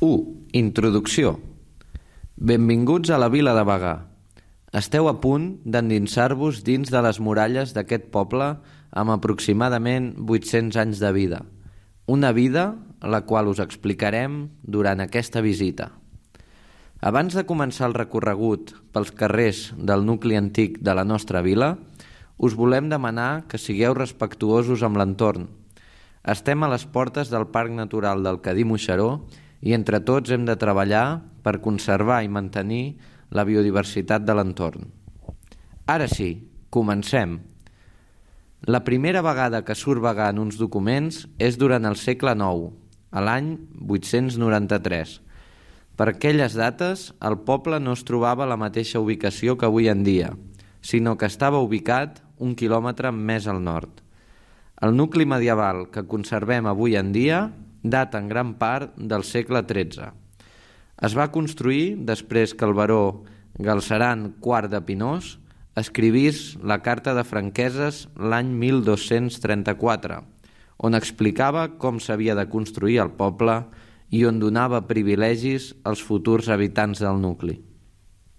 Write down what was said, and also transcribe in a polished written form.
1. Introducció. Benvinguts a la vila de Bagà. Esteu a punt d'endinsar-vos dins de les muralles d'aquest poble amb aproximadament 800 anys de vida. Una vida la qual us explicarem durant aquesta visita. Abans de començar el recorregut pels carrers del nucli antic de la nostra vila, us volem demanar que sigueu respectuosos amb l'entorn. Estem a les portes del Parc Natural del Cadí-Moixeró i entre tots hem de treballar per conservar i mantenir la biodiversitat de l'entorn. Ara sí, comencem. La primera vegada que surt Bagà en uns documents és durant el segle IX, a l'any 893. Per aquelles dates, el poble no es trobava a la mateixa ubicació que avui en dia, sinó que estava ubicat 1 quilòmetre més al nord. El nucli medieval que conservem avui en dia data en gran part del segle XIII. Es va construir després que el baró Galceran IV de Pinós escrivís la Carta de Franqueses l'any 1234, on explicava com s'havia de construir el poble i on donava privilegis als futurs habitants del nucli.